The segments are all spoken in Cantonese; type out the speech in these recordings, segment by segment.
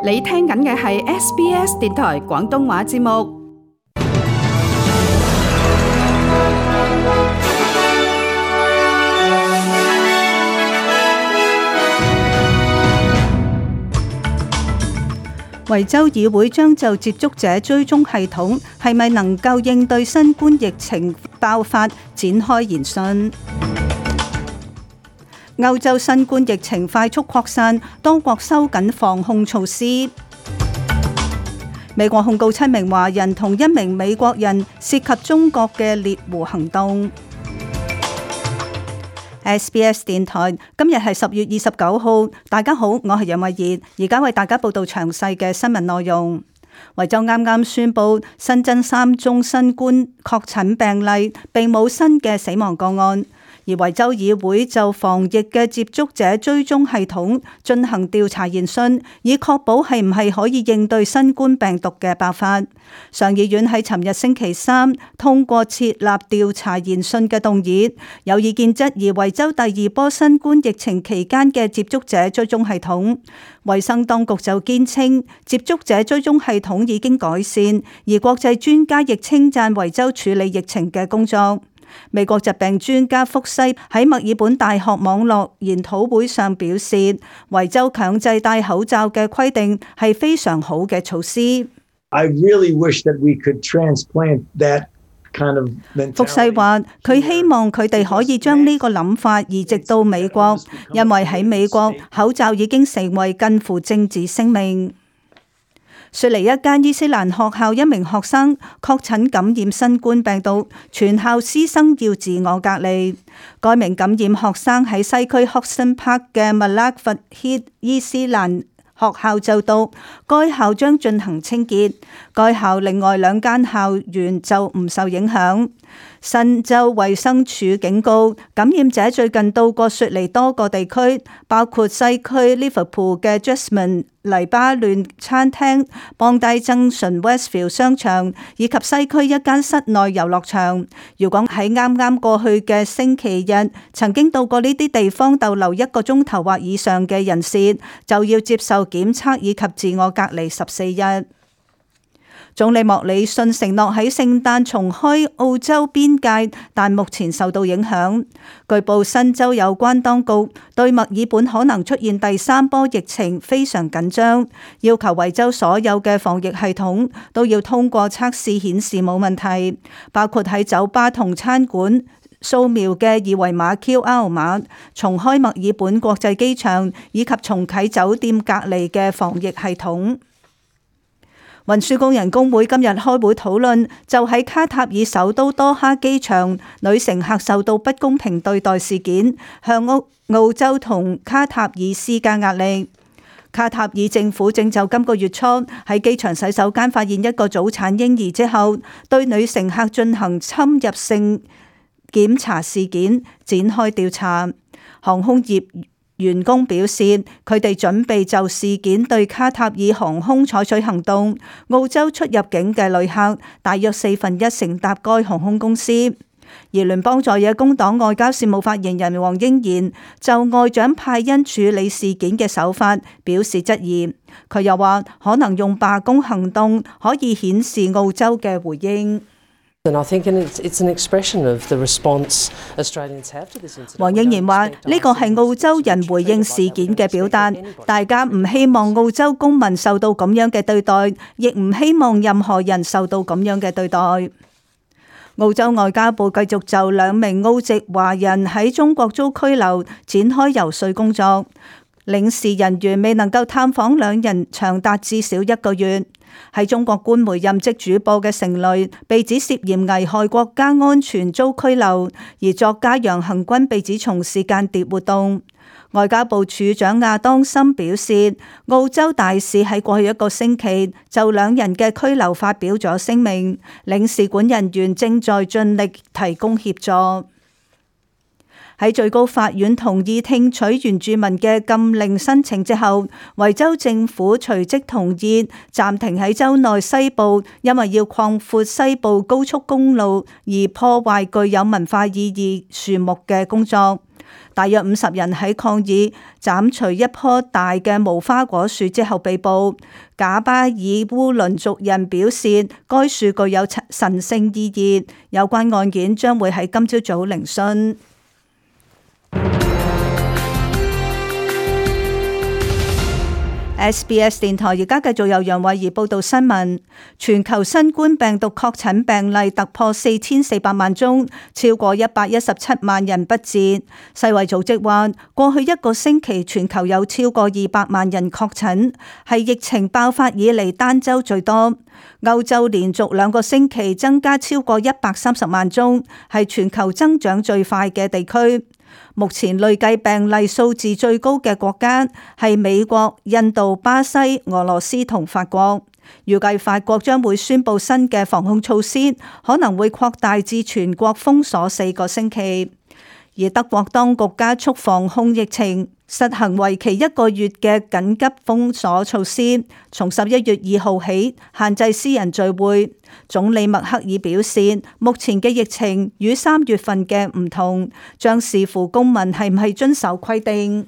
你聽緊嘅係 SBS 電台廣東話節目。維州議會將就接觸者追蹤系統係咪能夠應對新冠疫情爆發展開研訊。歐洲新冠疫情快速擴散，多國收緊防控措施。美國控告7名華人同1名美國人涉及中國嘅獵狐行動。SBS 電台今日係10月29號，大家好，我係楊慧儀，而家為大家報道詳細嘅新聞內容。維州啱啱宣布新增3宗新冠確診病例，並冇新嘅死亡個案。而維州議會就防疫嘅接觸者追蹤系統進行調查研訊，以確保係唔係可以應對新冠病毒嘅爆發。上議院喺尋日星期3通過設立調查研訊嘅動議，有意見質疑維州第2波新冠疫情期間嘅接觸者追蹤系統。衛生當局就堅稱接觸者追蹤系統已經改善，而國際專家亦稱讚維州處理疫情嘅工作。美國疾病專家福西喺墨爾本大學網絡研討會上表示，維州強制戴口罩嘅規定係非常好嘅措施。I really wish that we could transplant that kind of mentality. 福西話，佢希望佢哋可以將呢個諗法移植到美國，因為喺美國口罩已經成為近乎政治聲明。雪梨一間伊斯蘭學校1名學生確診感染新冠病毒，全校師生要自我隔離。該名感染學生喺西區 Hodgson Park 嘅麥拉佛希伊斯蘭學校就讀，該校將進行清潔。該校另外2間校園就唔受影響。新州衛生署警告，感染者最近到過雪梨多個地區，包括西區 Liverpool 嘅 Jasmine 黎巴嫩餐廳、邦迪增順 Westfield 商場以及西區一間室內遊樂場。如果喺啱啱過去嘅星期日曾經到過呢啲地方逗留1個鐘頭或以上嘅人士，就要接受檢測以及自我隔離14日。總理莫里遜承諾喺聖誕重開澳洲邊界，但目前受到影響。據報新州有關當局對墨爾本可能出現第3波疫情非常緊張，要求維州所有嘅防疫系統都要通過測試顯示冇問題，包括喺酒吧同餐館掃描嘅2維碼 QR 碼，重開墨爾本國際機場以及重啟酒店隔離嘅防疫系統。運輸工人工會今日開會討論，就喺卡塔爾首都多哈機場女乘客受到不公平對待事件，向澳洲同卡塔爾施加壓力。卡塔爾政府正就今個月初喺機場洗手間發現一個早產嬰兒之後，對女乘客進行侵入性檢查事件展開調查。航空業員工表示，佢哋準備就事件對卡塔爾航空採取行動。澳洲出入境嘅旅客大約1/4乘搭該航空公司。而聯邦在野工黨外交事務發言人黃英賢就外長派恩處理事件嘅手法表示質疑。佢又話，可能用罷工行動可以顯示澳洲嘅回應。黃英賢話：呢個係澳洲人回應事件嘅表達，大家唔希望澳洲公民受到咁樣嘅對待，亦唔希望任何人受到咁樣嘅對待。澳洲外交部繼續就2名澳籍華人喺中國遭拘留展開游說工作，領事人員未能夠探訪2人長達至少1個月。喺中國官媒任職主播嘅成蕾被指涉嫌危害國家安全遭拘留，而作家楊恒軍被指從事間諜活動。外交部處長亞當森表示，澳洲大使喺過去1個星期就2人嘅拘留發表咗聲明，領事館人員正在盡力提供協助。喺最高法院同意聽取原住民嘅禁令申請之後，維州政府隨即同意暫停喺州內西部因為要擴闊西部高速公路而破壞具有文化意義樹木嘅工作。大約50人喺抗議斬除一棵大嘅無花果樹之後被捕。賈巴爾烏倫族人表示，該樹具有神聖意義，有關案件將會喺今朝早聆訊。SBS 電台而家繼續由楊慧儀報道新聞。全球新冠病毒確診病例突破4400萬宗，超過117萬人不治。世衛組織話，過去一個星期全球有超過200萬人確診，係疫情爆發以嚟單週最多。歐洲連續2個星期增加超過130萬宗，係全球增長最快嘅地區。目前累計病例數字最高嘅國家係美國、印度、巴西、俄羅斯同法國。預計法國將會宣布新嘅防控措施，可能會擴大至全國封鎖4個星期。而德國當局加速防控疫情，實行為期1個月嘅緊急封鎖措施，從11月2號起限制私人聚會。總理默克爾表示，目前嘅疫情與3月份嘅唔同，將視乎公民係唔係遵守規定。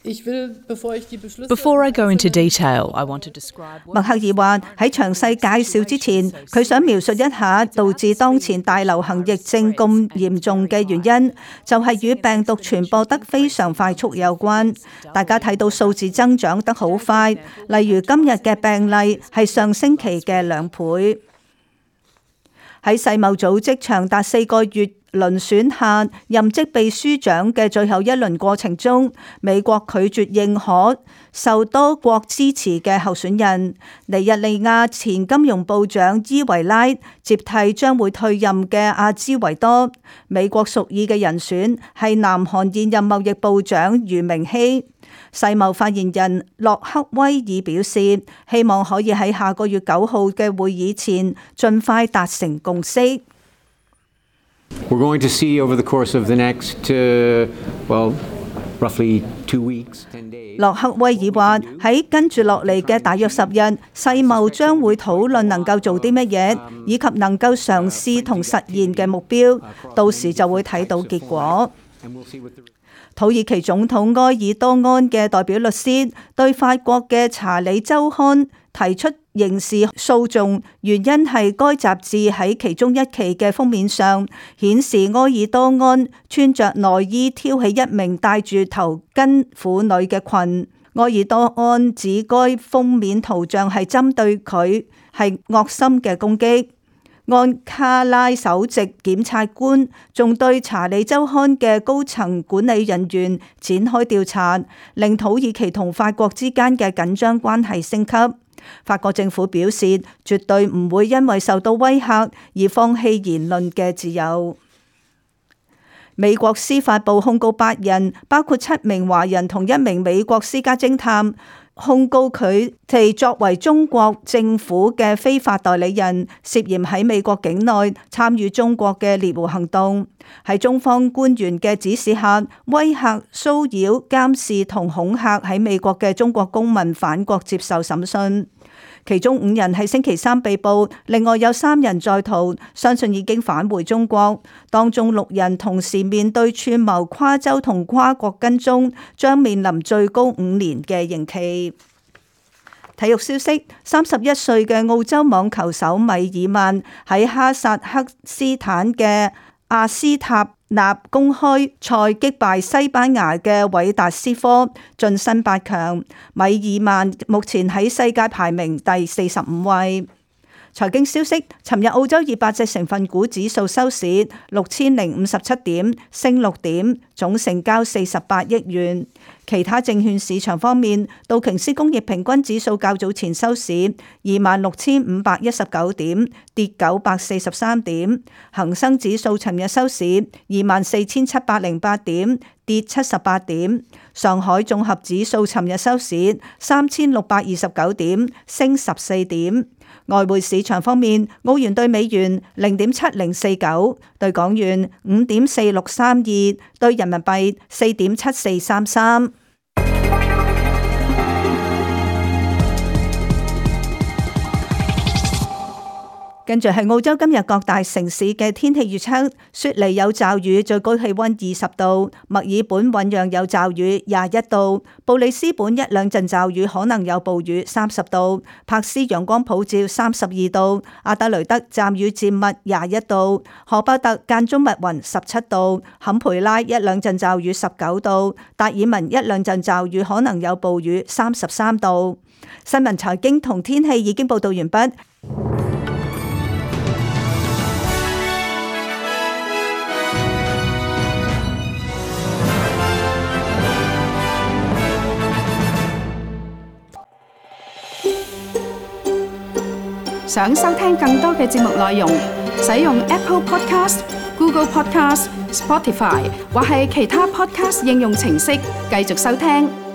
Before I go into detail, I want to describe. 默克爾話喺詳細介紹之前，佢想描述一下導致當前大流行疫症咁嚴重嘅原因，就係與病毒傳播得非常快速有關。大家睇到數字增長得好快，例如今日嘅病例係上星期嘅2倍。喺世貿組織長達4個月遴選下任職秘書長嘅最後一輪過程中，美國拒絕認可受多國支持嘅候選人。尼日利亞前金融部長伊維拉接替將會退任嘅阿茲維多。美國屬意嘅人選係南韓現任貿易部長俞明希。世貿發言人洛克威爾表示，希望可以喺下個月9號嘅會議前盡快達成共識。We're going to see over the course of the next, roughly 2 weeks, 10 days. 洛克威爾話：喺跟住落嚟嘅大約10日，世貿將會討論能夠做啲乜嘢，以及能夠嘗試同實現嘅目標。到時就會睇到結果。土耳其總統埃爾多安嘅代表律師對法國嘅查理週刊提出刑事訴訟，原因係該雜誌喺其中一期嘅封面上顯示埃爾多安穿着內衣挑起一名戴住頭巾婦女嘅裙。埃爾多安指該封面圖像係針對佢，係惡心嘅攻擊。安卡拉首席檢察官仲對查理週刊嘅高層管理人員展開調查，令土耳其同法國之間嘅緊張關係升級。法國政府表示，絕對唔會因為受到威嚇而放棄言論嘅自由。美國司法部控告8人，包括7名華人同1名美國私家偵探，控告佢哋作為中國政府嘅非法代理人，涉嫌喺美國境內參與中國嘅獵狐行動，喺中方官員嘅指使下，威嚇、騷擾、監視同恐嚇喺美國嘅中國公民返國接受審訊。其中5人喺星期3被捕，另外有3人在逃，相信已經返回中國。當中6人同時面對串謀跨州同跨國跟蹤，將面臨最高5年嘅刑期。體育消息：31歲嘅澳洲網球手米爾曼喺哈薩克斯坦嘅阿斯塔納公開賽擊敗西班牙嘅韋達斯科，晉身8強。米爾曼目前喺世界排名第45位。財經消息：尋日澳洲200隻成分股指數收市6057點，升6點，總成交48億元。其他證券市場方面，道瓊斯工業平均指數較早前收市26,519點，跌943點；恒生指數尋日收市24,708點，跌78點。上海綜合指數尋日收市3629點，升14點。外匯市場方面，澳元對美元0.7049，對港元5.4632，對人民幣4.7433。跟住係澳洲今日各大城市嘅天氣預測：雪梨有驟雨，最高氣溫20度；墨爾本醞釀有驟雨，21度；布里斯本一兩陣驟雨，可能有暴雨，30度；柏斯陽光普照，32度；阿德雷德驟雨漸密，21度；荷伯特間中密雲，17度；坎培拉一兩陣驟雨，19度；達爾文一兩陣驟雨，可能有暴雨，33度。新聞財經同天氣已經報道完畢。想收聽更多嘅節目內容，使用 Apple Podcast、Google Podcast、Spotify 或係其他 Podcast 應用程式繼續收聽。